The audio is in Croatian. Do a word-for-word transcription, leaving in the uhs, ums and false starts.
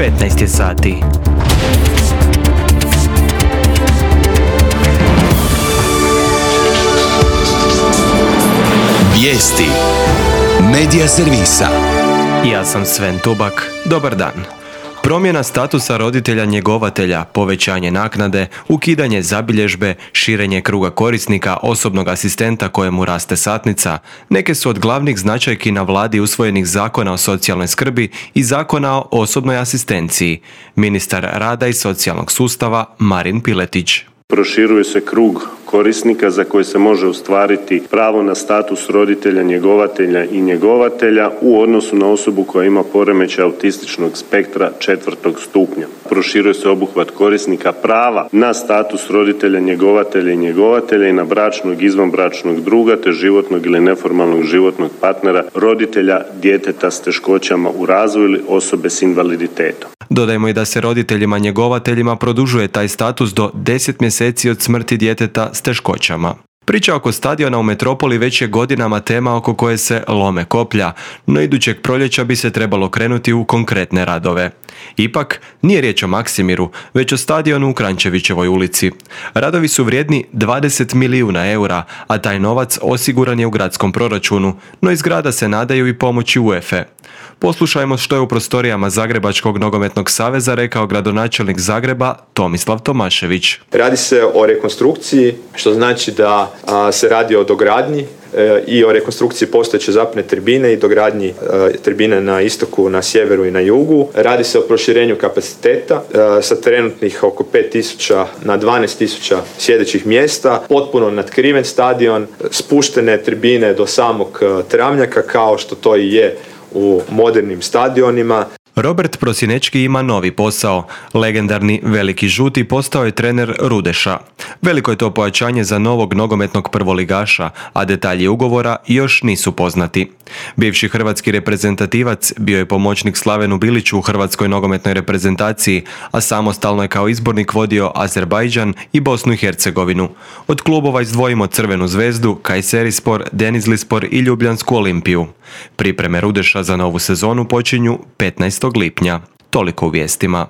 petnaest je sati. Vijesti Medija servisa. Ja sam Sven Tubak. Dobar dan. Promjena statusa roditelja njegovatelja, povećanje naknade, ukidanje zabilježbe, širenje kruga korisnika, osobnog asistenta kojemu raste satnica, neke su od glavnih značajki na vladi usvojenih zakona o socijalnoj skrbi i zakona o osobnoj asistenciji. Ministar rada i socijalnog sustava Marin Piletić. Proširuje se krug korisnika za koje se može ostvariti pravo na status roditelja, njegovatelja i njegovatelja u odnosu na osobu koja ima poremećaj autističnog spektra četvrtog stupnja. Proširuje se obuhvat korisnika prava na status roditelja, njegovatelja i njegovatelja i na bračnog, izvanbračnog druga te životnog ili neformalnog životnog partnera, roditelja djeteta s teškoćama u razvoju ili osobe s invaliditetom. Dodajmo i da se roditeljima njegovateljima produžuje taj status do deset mjeseci od smrti djeteta s teškoćama. Priča oko stadiona u Metropoli već je godinama tema oko koje se lome koplja, no idućeg proljeća bi se trebalo krenuti u konkretne radove. Ipak, nije riječ o Maksimiru, već o stadionu u Kranjčevićevoj ulici. Radovi su vrijedni dvadeset milijuna eura, a taj novac osiguran je u gradskom proračunu, no iz grada se nadaju i pomoći UEFA. Poslušajmo što je u prostorijama Zagrebačkog nogometnog saveza rekao gradonačelnik Zagreba Tomislav Tomašević. Radi se o rekonstrukciji, što znači da a, se radi o dogradnji e, i o rekonstrukciji postojeće zapne tribine i dogradnji e, tribine na istoku, na sjeveru i na jugu. Radi se o proširenju kapaciteta e, sa trenutnih oko pet tisuća na dvanaest tisuća sjedećih mjesta, potpuno natkriven stadion, spuštene tribine do samog e, travnjaka kao što to i je u modernim stadionima. Robert Prosinečki ima novi posao. Legendarni Veliki žuti postao je trener Rudeša. Veliko je to pojačanje za novog nogometnog prvoligaša, a detalji ugovora još nisu poznati. Bivši hrvatski reprezentativac bio je pomoćnik Slavenu Biliću u hrvatskoj nogometnoj reprezentaciji, a samostalno je kao izbornik vodio Azerbajdžan i Bosnu i Hercegovinu. Od klubova izdvojimo Crvenu zvezdu, Kayserispor, Denizlispor i Ljubljansku Olimpiju. Pripreme Rudeša za novu sezonu počinju petnaestog lipnja. Toliko u vijestima.